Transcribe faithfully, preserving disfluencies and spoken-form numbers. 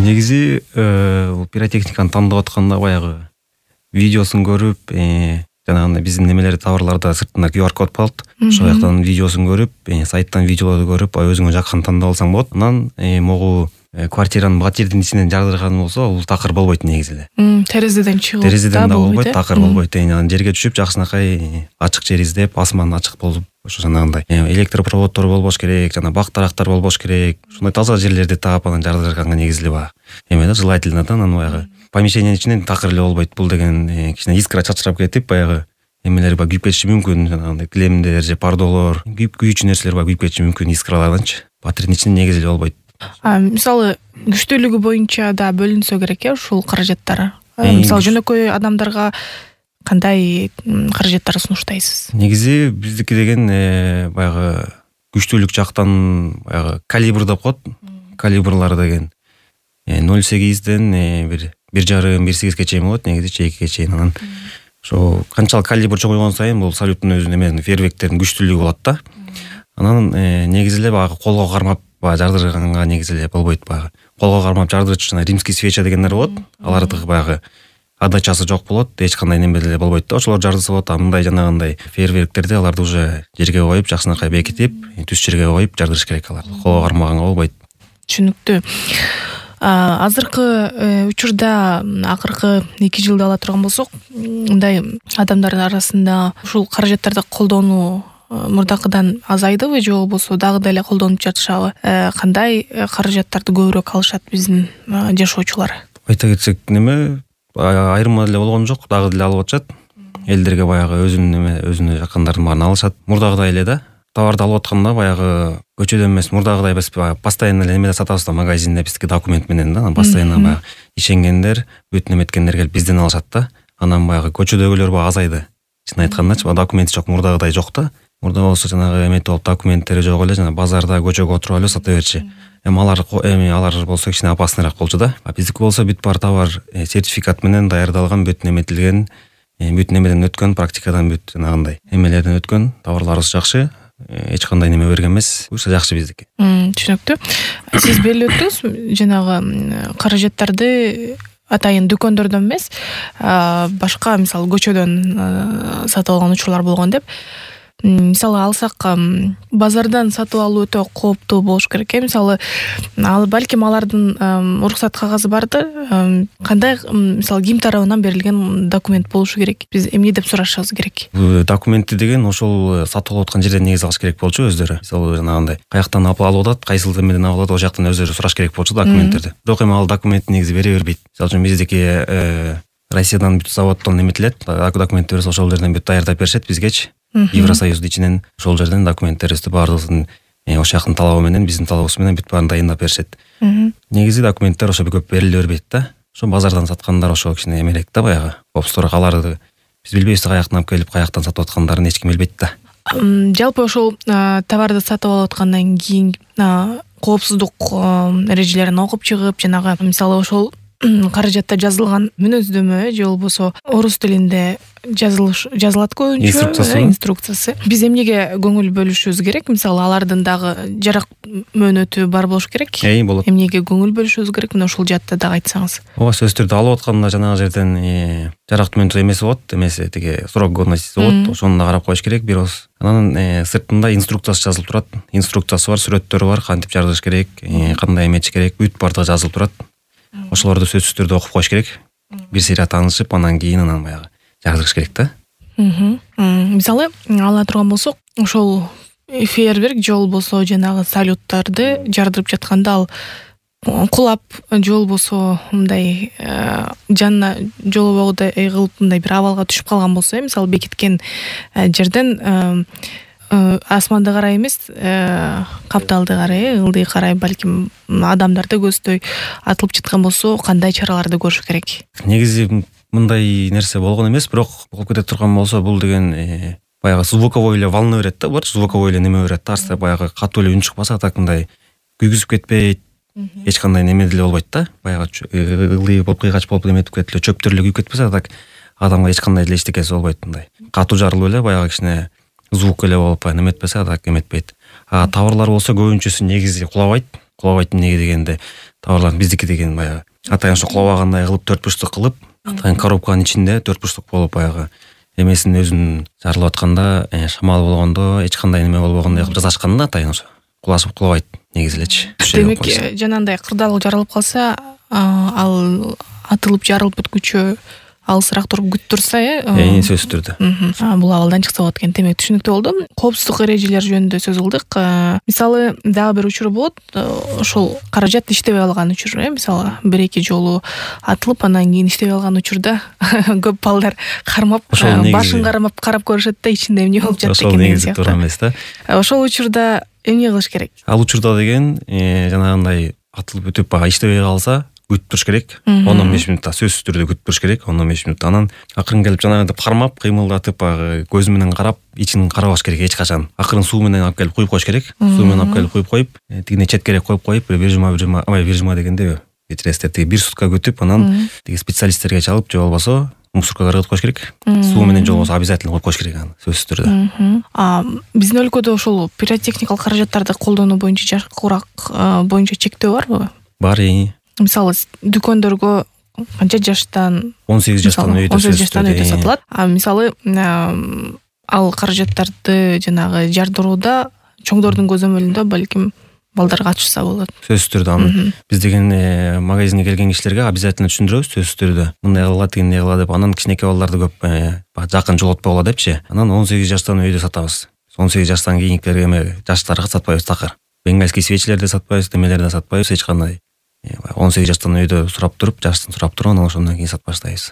Негизи бул пиротехниканы тандап атканда баягы видеосун көрүп, жанагындай биздин немелерди товарларда сыртында ку ар код болот. Ошол жактан видеосун көрүп, сайттан видеолорду көрүп, өзүңө жаккан тандап алсаң болот. Анан могу квартиранын бат жердин ичинен жардырган болсо, бул такыр болбойт негизи эле. Терезеден чыгып терезеден да болбойт, такыр болбойт. Анан жерге түшүп жакшынакай ачык жер издеп, асман ачык болуп, ошо жанагындай электропроводдор болбош керек, жана бак тарактар болбош керек. Ушундай таза жерлерди таап анан жардырганга негизи эле баягы эме да, желательно да, анан баягы помещениянын ичинен такыр эле болбойт. Бул деген кичине искра чачырап кетип, баягы эмелер бар күйүп кетиши мүмкүн, жанагындай килемдер же пардолор, күйүүчү нерселер бар күйүп кетиши мүмкүн искраларданчы. Батырдын ичинен негизи эле болбойт. Мисалы күчтүүлүгү боюнча да бөлүнсө керек э ушул каражаттар. Мисалы жөнөкөй адамдарга кандай каражаттар сунуштайсыз? Негизи биздики деген баягы күчтүүлүк жактан баягы калибр деп коет. Калибрлар деген ноль сегизден бир бир жарым бир сегизге чейин болот, негизи экиге чейин. Анан ошо канчалык калибр чоңойгон сайын бул салюттун өзүнүн эмесин фейерверктердин күчтүүлүгү болот да. Анан негизи эле баягы колго кармап жардырганга негизи эле болбойт. Баягы колго кармап жардырчу жана римский свеча дегендер болот. Алардыгы баягы адачасы жок болот, эч кандай неме деле болбойт да. Ошолор жардырса болот. А мындай жанагындай фейерверктерди аларды уже жерге коюп, жакшынакай бекитип, түз жерге коюп жардырыш керек аларды. Колго кармаганга болбойт. Түшүнүктүү. Азыркы учурда акыркы эки жылды ала турган болсок, мындай адамдардын арасында ушул каражаттарды колдонуу мурдакыдан азайдыбы же болбосо дагы деле колдонуп жатышабы? Кандай каражаттарды көбүрөөк алышат биздин жашоочулар? Айта кетсек, неме айырма деле болгон жок, дагы деле алып атышат. Элдерге баягы өзүнүн эме өзүнө жаккандардын баарын алышат. Мурдагыдай эле да. Товарды алып атканда баягы көчөдөн эмес, мурдагыдай биз постоянно эле эмеде сатабыз да, магазинде биздики документ менен да. Постоянно баягы ишенгендер, бүт неметкендер келип бизден алышат да. Анан баягы көчөдөгүлөр баягы азайды. Чын айткандачы, документи жок, мурдагыдай жок да. Мурда болсо жанагы эметип болуп документтери жок эле, жана базарда көчөгө отуруп эле сата берчи. Эми алар эми алар болсо кичине опасныйраак болчу да. А биздики болсо бүт бар товар сертификат менен даярдалган, бүт неметилген, бүт немеден өткөн, практикадан бүт жанагындай эмелерден өткөн, товарларыбыз жакшы. Эч кандай неме берген эмес. Буюрса жакшы биздики. Түшүнүктүү. Сиз белип өттүңүз, жанагы каражаттарды атайын дүкөндөрдөн эмес, башка мисалы көчөдөн сатып алган учурлар болгон деп. Мисалы алсак, базардан сатып алуу өтө кооптуу болуш керек э. Мисалы, ал балким алардын уруксат кагазы барды. Кандай, мисалы, ким тарабынан берилген документ болушу керек? Биз эмне деп сурашыбыз керек? Документти деген ошол сатып алып аткан жерден негиз алыш керек болчу өздөрү. Мисалы, жанагындай каяктан алып атат, кайсыл эмеден алып атат, ошол жактан өздөрү сураш керек болчу документтерди. Бирок эми ал документти негизи бере бербейт. Мисалы үчүн биздики Россиядан бүт заводдон эметилет, документ берсе ошол жерден бүт даярдап беришет бизгечи. Евросоюздун ичинен ошол жерден документтерибизди баардыгын ошол жактын талабы менен, биздин талабыбыз менен бүт баарын дайындап беришет. Негизи документтер ошо көп бериле бербейт да. Ошо базардан саткандар ошо кичине эмерээк да, баягы. Опсторго аларды биз билбейбиз каяктан алып келип, каяктан сатып аткандарын эч ким билбейт да. Жалпы ошол товарды сатып алып аткандан кийин коопсуздук эрежелерин окуп чыгып, жанагы мисалы ошол каражатта жазылган мүнөздөмө же болбосо орус тилинде жазылыш жазылат көбүнчө инструкциясы. Биз эмнеге көңүл бөлүшүбүз керек? Мисалы алардын дагы жарак мөөнөтү бар болуш керек. Эй, болот. Эмнеге көңүл бөлүшүбүз керек? Мына ушул жаатта дагы айтсаңыз. Ооба, сөзсүз түрдө алып атканда жанагы жерден жарак мөөнөтү эмеси болот, эмеси тиги срок годности болот, ошону да карап коюш керек бир оз. Анан сыртында инструкциясы жазылып турат. Инструкциясы бар, сүрөттөрү бар, кантип жардырыш керек, кандай эметиш керек, бүт баардыгы жазылып турат. Ошолорду сөзсүз түрдө окуп коюш керек. Бир сыйра таанышып, анан кийин анан баягы жардырыш керек да. Мисалы, ала турган болсок, ошол фейерверк же болбосо жанагы салюттарды жардырып жатканда ал кулап же болбосо мындай жанына жолобогудай кылып мындай бир абалга түшүп калган болсо, мисалы бекиткен жерден асманды карай эмес, капталды карай, ылдый карай, балким адамдарды көздөй атылып жаткан болсо, кандай чараларды көрүш керек? Негизи мындай нерсе болгон эмес, бирок болуп кете турган болсо, бул деген баягы звуковой эле волна берет да, булар звуковой эле неме берет да, арсы баягы катуу эле үн чыкпаса, так мындай күйгүзүп кетпейт, эч кандай неме деле болбойт да. Баягы ылдый болуп кыйгач болуп эметип кетип эле чөптөр эле күйүп кетпесе, так адамга эч кандай деле эчтекеси болбойт. Мындай катуу жарылып эле баягы кичине звук эле болуп неметпесе, так эметпейт. А товарлар болсо көбүнчөсү негизи кулабайт. кулабайт эмнеге дегенде товарлар биздики деген баягы атайын ошо кулабагандай кылып төрт бурчтук кылып атайын коробканын ичинде төрт бурчтук болуп баягы эмесин өзүн жарылып атканда шамал болгондо эч кандай неме болбогондой кылып жасашкан да атайын ошо кулашып кулабайт негизи элечи. Демек жанагындай кырдаал жарылып калса ал атылып жарылып бүткүчө алысыраак туруп күтүп турса э эң сөзсүз түрдө бул абалдан чыкса болот экен. Демек түшүнүктүү болду. Коопсуздук эрежелери жөнүндө сөз кылдык. Мисалы дагы бир учур болот, ошол каражат иштебей калган учур э мисалы бир эки жолу атылып анан кийин иштебей калган учурда көп балдар кармап башын кармап карап көрүшөт да ичинде эмне болуп жатты экен деген сыяктуу. Ошол негизи туура эмес да. Ошол учурда эмне кылыш керек? Ал учурда деген жанагындай атылып өтүп баягы иштебей калса күтүп туруш керек. он он беш мүнөттө сөзсүз түрдө күтүп туруш керек. он он беш мүнөттө анан акырын келип жанагындай кармап, кыймылдатып баягы көзү менен карап, ичин карабаш керек эч качан. Акырын суу менен алып келип куюп коюш керек. Суу менен алып келип куюп коюп, тигине четкерээк коюп коюп, бир жума бир жума, ой, бир жума дегенде кечиресиздер, тиги бир сутка күтүп, анан тиги специалисттерге чалып, же болбосо мусоркага кыргызып коюш керек. Суу менен же болбосо обязательно коюп коюш керек аны, сөзсүз түрдө. А биздин өлкөдө ошол пиротехникалык каражаттарды колдонуу боюнча жаш курак боюнча чектөө барбы? Бар. Мисалы дүкөндөргө канча жаштан он сегиз жаштан өйдө он сегиз жаштан өйдө сатылат. А мисалы ал каражаттарды жанагы жардырууда чоңдордун көзөмөлүндө балким балдар катышса болот. Сөзсүз түрдө аны биз деген магазинге келген кишилерге обязательно түшүндүрөбүз сөзсүз түрдө. Мындай кыла, тигиндей кыла деп, анан кичинекей балдарды көп жакын жолотпогула депчи. Анан он сегиз жаштан өйдө сатабыз. он сегиз жаштан кийинкилерге эме жаштарга сатпайбыз такыр. Бенгальский свечилерди сатпайбыз, немелерди сатпайбыз эч кандай. он сегиз жаштан өйдө сурап туруп, жаштын сурап туруп, анан ошондон кийин сатып баштайбыз.